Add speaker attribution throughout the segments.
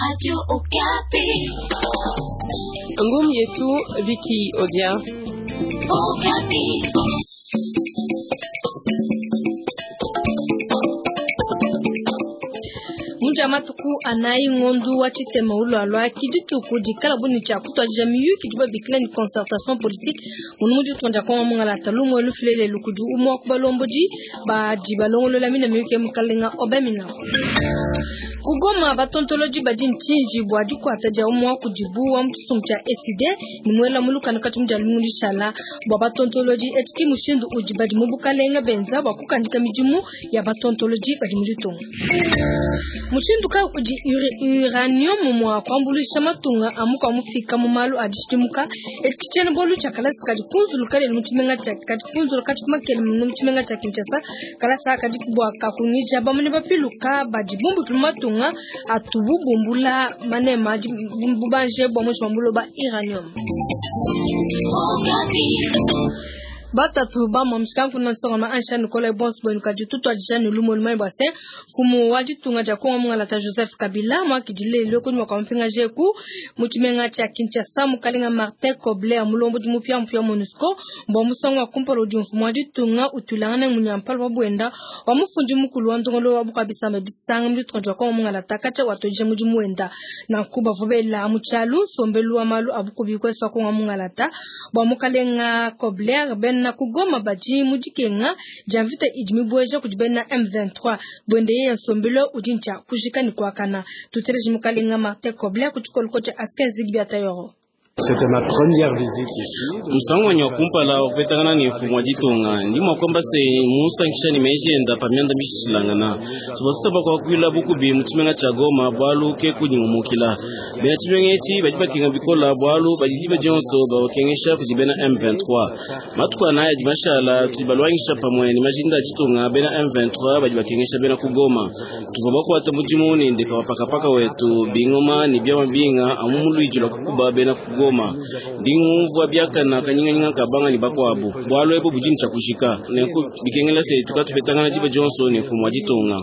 Speaker 1: Radio Okapi.
Speaker 2: Ngum yetu Vicky Odia.
Speaker 1: Okapi.
Speaker 3: Muja matuku anayi ngondu wa tshitema ulwalwa ki dituku dikala bu ne tshia kutuadija miyuki idibo babikila ne concertation politique munu mu ditunga dia Kongo mungalata lumue lufile lelu kudi umue wa ku balombodi badi balongolola mine miyuki ya mukalenga Aubin Minaku. Ku Goma, batontolodi badi ne tshinji bua dikuata dia umue wa kudibu wa mu tshisumbu tshia ECIDE ne muela mu lukanu katshia mu dia lumingu dishala. Bua batontolodi, etshi ki mushindu udi badi mu bukalenge benza bua kukandika midimu ya batontolodi badi mu ditunga. Mushindu kayi udi uranium mua kuambuluisha matunga a mukua mufika mu malu a dishidimuka? Etshi ki tshiena-bualu tshia kalasa kadi kunzuluka lelu mu tshimenga tshia kadi kunzuluka katshia ku makele mu tshimenga tshia Kinshasa. Kalasa kadi bua kakungija bamune bapiluka badi bumbukila mu matunga atubu bumbula manema bubanje bua muinshi mua buloba uranium. Batatu ba mua mushikanfu na nsongama ansha Nicolas bonso buenu kadi tutuadija ne lumu lumanye bua se mfumu wa ditunga dia Kongo mungalata Joseph Kabila muakidile lelu kunyima kua mupingaje ku mu tshimenga tshia Kinshasa mukalenga Martin Kobler mulombodi mupiamupia wa MONUSCO mbua musangu wa kumpala udi mfumu wa ditunga utuilangana ne munyampala wa buenda wa mufundi mukulu wa ndongoluelu wa bukua bisamba bisanga mu ditunga dia Kongo mungalata katshia watuadija mudimu wenda. Nanku bavua bela mu tshialu nsombelu wa malu a bukubi ku est wa Kongo mungalata bua mukalenga Kobler bena ku Goma badi mu dikenga dia mvita idi mibueja kudi bena M23 buende yeye nsombelu udi ntshia kujika ne kuakana. Tuteleje mukalenga Martin Kobler ku tshikoloko tshia Askin Zigbi Atayoro.
Speaker 4: Musangu wanyi wa kumpala wa kupetangana ne mfumu wa ditunga, ndi mua kuamba se mmunsankisha ne meji enda pa mianda mishilangana. Tuvua tutamba kuakuila bukubi mu tshimenga tshia Goma bualu ke kudi ngumukila. Bena tshimenga etshi badi bakenga bikola bualu badi diba dionso babakengesha kudi bena M23. Matuku anayi adi mashala tudi baluangisha pamue ne majinda a ditunga bena M23 badi bakengesha bena ku Goma. Tuvua bakuata mudimu ne ndeka wa pakapaka wetu bingoma ne biamua binga amu mu luidi lua kukuba bena ku Goma. Ndi ngumvua biakana kanyinganyinga ka banga ne bakuabu. Bualu ebu budi ne tshia kujika. Nenku bikengela se tukatupetangana diba dionso ne mfumu wa ditunga.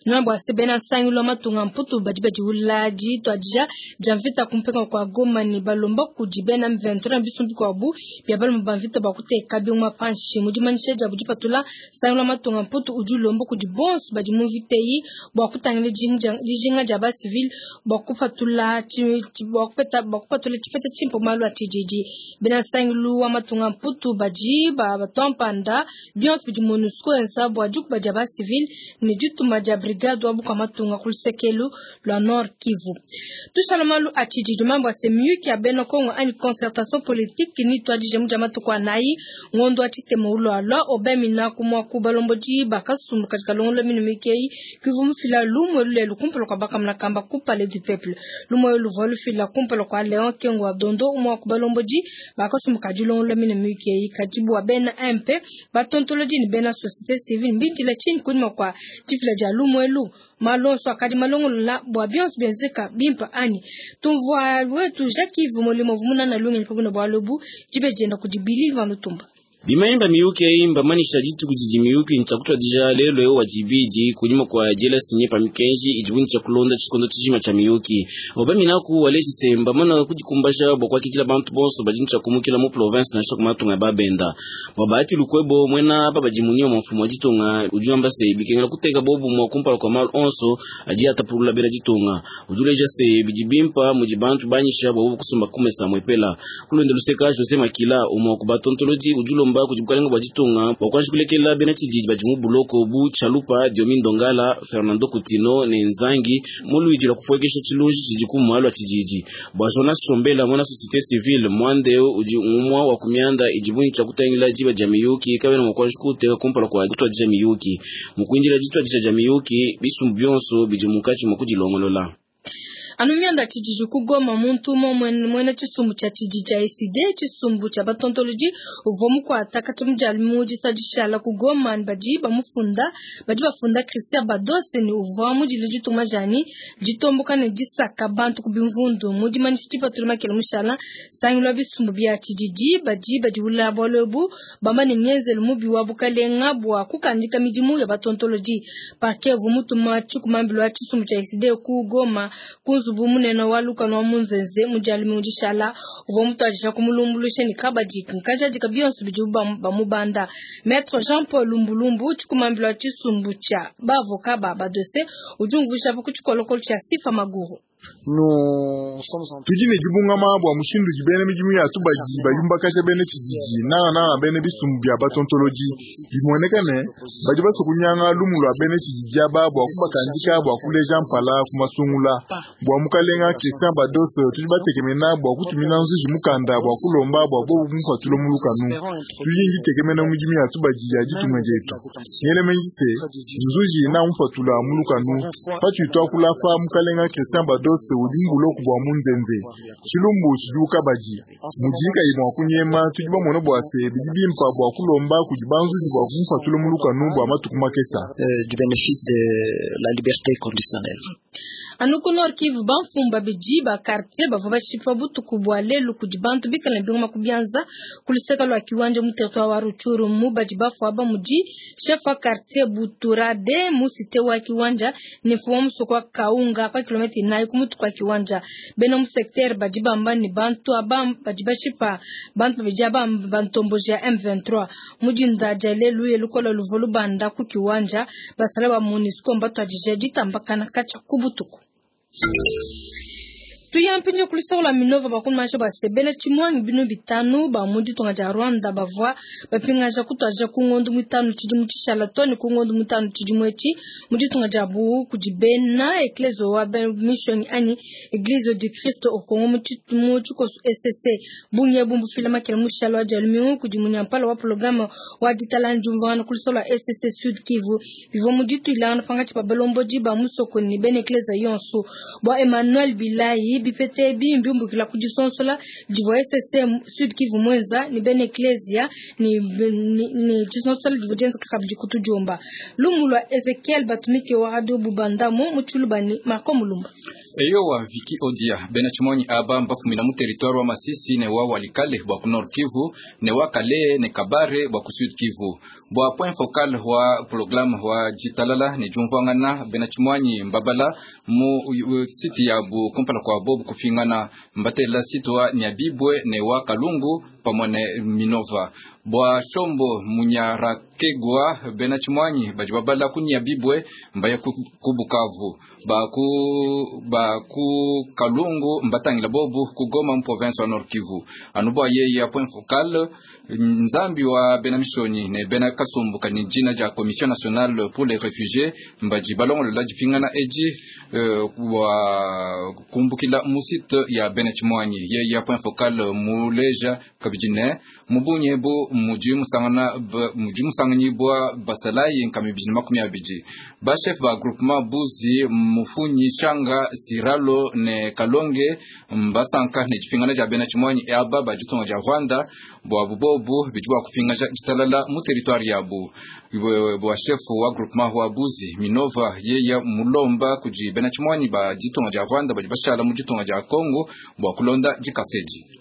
Speaker 3: Nuamba bua se bena nsangilu wa matunga mputu badi badiwula dituadija dia mvita kumpenga kua Goma ne balomba kudi bena M23 na bisumbu bikuabu bia balume ba mvita bua kuteka bingoma panshi. Mu dimanyisha diabu dipatula, nsangilu wa matunga mputu udi ulomba kudi bonso badi mu mvita eyi bua kutangila dijinga dia ba civil bua kupatula bua kupeta bua kupatula tshipeta tshimpe malu a tshididi. Bena nsangilu wa matunga mputu badi batua mpanda bionso bidi MONUSCO enza bua dikuba dia ba civil ne dituma dia brigade wa bukua matunga ku lusekelu lua Nord Kivu. Tushala malu a tshididi mambo a se miyuki ya bena Kongo anyi concertation politique ni tuadije mu dia matuku anayi ngondo wa tshitema ulwalwa Aubin Minaku mua ku balombodi ba kasumbu kadi kalongolola mine miyuki eyi kivu mufila lumue lulelu kumpala kua bakamuna kamba ku Palais du Peuple. Lumue luvua lufila kumpala kua Leon Kengo wa Dondo umue wa ku balombodi ba kasumbu ka dilongolola mine miyuki eyi kadi bua bena MP batontolodi ne bena société civile mbindila tshinyi kunyima kua difila dia lumuelu malu onso akadi malongolola bua bionso bienzeka bimpe anyi tumvua wetu Jacques Yves Molimo vumunana lungenyi pabuna bualu ebu dibe dienda kudi Billy Van Lutumba.
Speaker 4: Bimanyi ba miyuki eyi mbamanyisha dituku didi miyuki ntshia kutuadija lelu eu wa dibidi kunyima kua diela sinye pa mikenji idibu ntshia kulonda tshikondo tshijima tshia miyuki. Aubin Minaku waleji se mbamana kudikumbaja bua kuakidila bantu bonso badi ntshia kumukila mu province nansha ku matunga ya babenda. Bua Bahati Lukwebo muena aba badi munyima mua mfumu wa ditunga udi wamba se bikengela kuteka bobumue kumpala kua malu onso adi atapulula bena ditunga. Udi uleja se bidi bimpa mudi bantu banyisha bua bobu kusomba ku mesa muepela. Ku luende luseka Jose Makila umue wa ku batontolodi udi ulomba kudi bukalenga bua ditunga bua kuanji kulekela bena tshididi badi mu buloko bu Chalupa, Diomi Ndongala, Fernando Kutino ne Nzangi mu luidi lua kupuekesha tshilunji tshidi ku malu a tshididi. Bua Jonas Tshombela muena société civile muanda eu udi umue wa ku mianda idibu ne tshia kutangila diba dia miyuki kabena mua kuanji kuteka kumpala kua kutuadija miyuki. Mu kuindila dituadija dia miyuki bisumbu bionso bidi munkatshi mua kudilongolola.
Speaker 3: Anu mianda tshididi ku Goma, muntu umue muena tshisumbu tshia tshididi tshia ECiDé, tshisumbu tshia batontolodi, uvua mukuata katshia mu dia lumingu disa dishala ku Goma ne badi bamufunda badi bafunda Christian Badose ne uvua mudile ditunga dianyi ditomboka ne disaka bantu ku bimvundu. Mu dimanyisha dipatula makela mushala, nsangilu wa bisumbu bia tshididi badi badiwula bualu ebu bamba ne ngenzelu mubi wa bukalenga bua kukandika midimu ya batontolodi. Parquet uvua mutuma tshikumambilu wa tshisumbu tshia ECiDé ku Goma ku nzubu munene wa lukanu wa Munzenze mu dia lumingu dishala uvua mutuadija kumulumbuluisha ne kabadi nkajadika bionso bidibu bamubanda. Maître Jean Paul Lumbulumbu, tshikumambilu wa tshisumbu tshia bavoka ba Badose, udi umvuija ku tshikolokolo tshia Sifa Maguru.
Speaker 5: Tudi ne dibungama bua mushindu udi bena midimu ya tubadi bayumbakaja bena tshididi, nangananga bena bisumbu bia batontolodi. Bimueneka ne, badi basue kunyanga lumu lua bena tshididi aba bua kubakandika bua kuleja mpala ku masungula. Bua mukalenga Christian Badose, tudi batekemena bua kutumina nzuji mukanda bua kulomba bua bobu kumupatula mu lukanu. Tudi ne ditekemena mu midimu ya tubadi ya ditunga dietu. Ngela meji se, nzuji namupatula mu lukanu. Patudi tuakula apa, mukalenga Christian Badose udi mu buloko bua Munzenze. Tshilumbu tshidi ku kabadi. Mudiyi kayi mua kunyema, tudi bamone bua se, bidi bimpa bua kulomba kudi banzuji bua kumupatula mu lukanu bua matuku makesa.
Speaker 6: Du bénéfice de la liberté conditionnelle.
Speaker 3: Anu ku Nord Kivu, bamfumu babidi ba quartier bavua bashipa butuku bua lelu kudi bantu bikale ne bingoma ku bianza ku luseke lua Kiwanja mu territoire wa Rutshuru. Mu badi bafua aba mudi chef wa quartier Buturade mu cité wa Kiwanja ne mfumu wa musoko wa Kaunga pa kilomètre 4 ku mutu kua Kiwanja. Bena mu secteur badi bamba ne bantu aba badi bashipa bantu babidi aba bantomboji ya M23. Mu dinda dia lelu lukola luvua lubanda ku Kiwanja, basala ba MONUSCO mbatuadije ditambakana katshia ku butuku. Tuyampinje kulusaka lua Minova bakumasha basebela tshimuangi binu bitanu ba mu ditunga dia Rwanda bavua bapingaja kutuadija ku ngondo mitanu tshidimu tshishala to ne ku ngondo mitanu tshidimu etshi mu ditunga dia bu kudi bena Eklezia wa Mission anyi Eglise du Christ au Congo mu tshikoso ECC. Bungi ebu mbufila makela mushala wa dia lumingu kudi munyampala wa programme wa ditalana diumvuangana ku lusaka lua ECC Sud Kivu. Bivua mu dituilangana pangatshi pa balombodi ba musoko ne bena Eklezia yonso. Bua Emmanuel Bilayi, bipete ebi mbiumbukila ku disonsola divua ECC Sud Kivu mwenza ne bena Eklezia ne disonsola divua dienzeka kabidi ku tudiomba. Lumu lua Ezekiel Batumike wa Radio Bubandamo mu Tshilubani, Marco Mulumba.
Speaker 7: Eyowa Viki Odia bena tshimonyi aba mbafumina mu territoire wa Masisi ne wa Walikale bua ku Nord Kivu ne wa Kale ne Kabare bua ku Sud Kivu. Bua point focal wa programme wa jitalala ne jumvuangana bena tshimonyi mbabala mu site ya bu kumpala kwa bobu kupingana mbatela site wa Nyabibwe ne wa Kalungu pamwe ne Minova. Bua Shombo Munyarakegwa bena tshimonyi badi babala ku Nyabibwe mbaya ku Bukavu. Ba ku Kalungu mbatangila bobu ku Goma mu province wa Nord Kivu. Anu bua yeye ya point focal nzambi wa bena mishoni ne bena kasumbu kani jina ja Commission nationale pour les réfugiés mbaji balongolola dipingana eji wa kumbukila mu site ya bena tshimonyi. Yeye ya point focal muleja kabidi ne mubunye bu muji musangana muji musanganyibwa basalayi nkami bijini 20. Ba chef ba groupement Buzi Mufunyi Shanga Siralo ne Kalonge mbasanka ne dipingana dia bena tshimonyi aba ba ditunga dia Rwanda bua bubobu bidi bua kupingaja ditalala mu territoire yabu. Bua chef wa groupement wa Buzi Minova yeya mulomba kudi bena tshimonyi ba ditunga dia Rwanda badi bashala mu ditunga dia Congo bua kulonda dikasedi.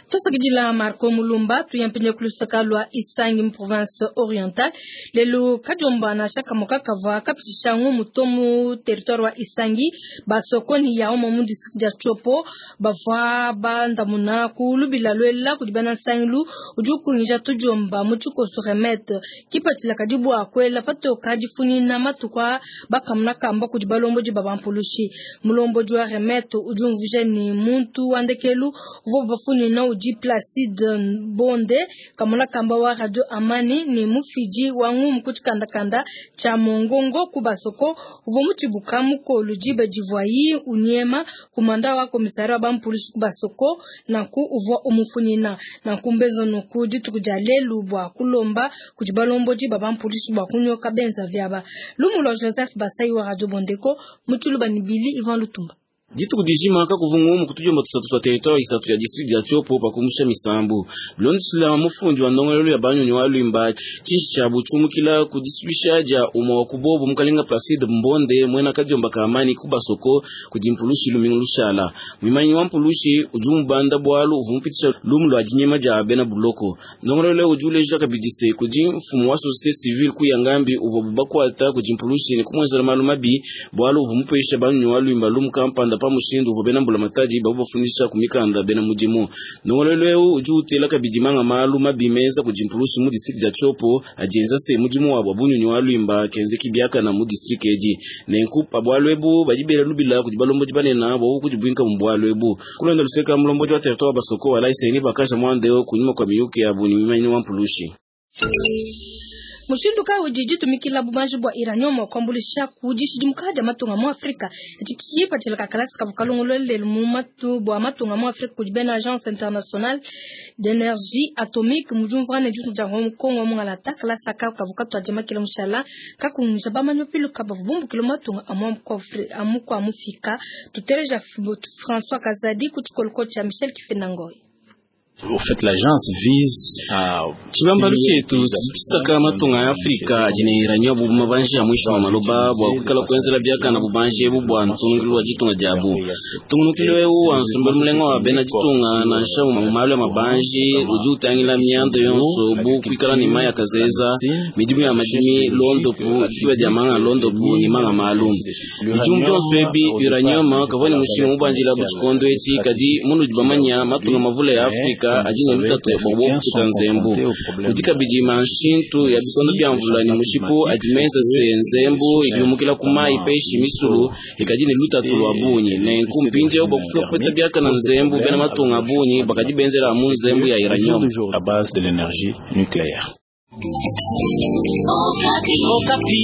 Speaker 3: Tosakidila Marco Mulumba. Tuyampinye kulusaka lua Isangi mu province orientale. Lelu kadiomba na shaka moka kavua kapitisha ngumu to mu territoire wa Isangi basokoni ya omo mu district dia Tshopo bavua bandamuna ku lubila lwela kudi bena nsangilu udi ukungisha tudiomba mu tshikoso remete kipatshila kadi bua kwela patoka difunyina matuku a bakamuna kamba kudi balombodi ba bampulushi. Mulombodi wa remete udi umvuija ni muntu wa ndekelu uvua bafunyina udi Placide Bonde kamona kamba wa Radio Amani ni mufiji wa ngumu kuchikandakanda cha Mongongo kubasoko uvua mutshibuka mukolu diba divuayi unyema kumanda wa komisari wa bampulushi kubasoko nanku uvua umufunyina nanku mbezo nuku dituku dia lelu bua kulomba kudi balombodi ba bampulushi bua kunyoka benza vyaba. Lumu lua Joseph Basai wa Radio Bondeko mu Tshiluba ni Bili Ivan Lutumba.
Speaker 4: Dituku dijima kakuvua ngumu ku tudiomba tusatu tua territoire isatu ya district dia Tshopo pa kumusha misambu. Bilondeshila mufundi wa ndongoluelu ya banyunyi wa Lwimba, tshinshi tshiabu tshiumukila ku disuisha dia umue wa ku bobo mukalenga Placide Mbonde muena kadiomba ka amani ku Basoko kudi mpulushi lumingu lushala. Muimanyi wa mpulushi udi umubanda bualu uvua mupitisha lumu lua dinyema dia bena buloko. Ndongoluelu udi uleja kabidi se kudi mfumu wa société civile ku Yangambi uvua bakuata kudi mpulushi ne kumuenzela malu mabi bualu uvua mupesha banyunyi wa Lwimba lumu kampanda pa mushindu uvua bena mbulamatadi bavua bafundisha ku mikanda bena mudimu. Ndongoluelu eu udi utela kabidi manga malu mabi menza kudi mpulushi mu district dia Tshopo adienza se mudimu wabu wa bunyunyi wa Lwimba kenzeki biakana mu district edi. Nenku pa bualu ebu badi bela lubila kudi balombodi banene bua kudibuinka mu bualu ebu. Kulonda luseka mulombodi wa territoire wa Basoko wa Laiseni bakaja muanda kunyima kwa miyuki yabu ni mimanyi wa mpulushi.
Speaker 3: Mushindu kayi udi ditumikila bubanji bua uranium mua kuambuluisha ku dishidimuka dia matunga mu Afrika? Etshi kipatshila ka kalasa kavua kalongoluela mu matu bua matunga mu Afrika kudi bena Agence Internationale d'Energie Atomique mu diumvuangana ne ditunga dia Hong Kong wa mungalata. Kalasa aka kavua katuadija makela mushala kakungisha bamanyi bapiluka bavua bumbukile mu matunga a mu kua mufika. Tuteleja François Kazadi ku tshikoloko tshia Michel Kifendangoy.
Speaker 8: Au fait, l'agence vise à
Speaker 4: Tshibambalu tshietu tshidi tshisaka matunga ya Afrika adi ne uranium bu mabanji a mwisho wa maloba bua kuikala kuenzela biakana bubanji ebu bua ntungilu wa ditunga diabu. Tungunukilu eu wa nsombelu mulenga wa bena ditunga nansha mu malu ya mabanji udi utangila mianda yonso bu kuikala ne mayi akazeza, midimu ya madimi, londopu, dikiba dia manga londopu ne manga malu. Bidimu bionso ebi uranium kavua ne mushinga mubanjila bu tshikondo etshi kadi munudi bamanya matunga mavule ya Afrika adi ne lutatu bua kubuka nzembu. Kudi kabidi manshintu ya bikondo bia mvula ne mushipu adi menza se nzembu idi yumukila ku mayi peshi misulu ikadi ne lutatu lua bungi. Nenku mpindieu bua kufika kupeta biakana nzembu bena matunga a bungi bakadi benzela mu nzembu ya uranium.
Speaker 8: À base de l'énergie nucléaire.
Speaker 1: Okapi. Okapi.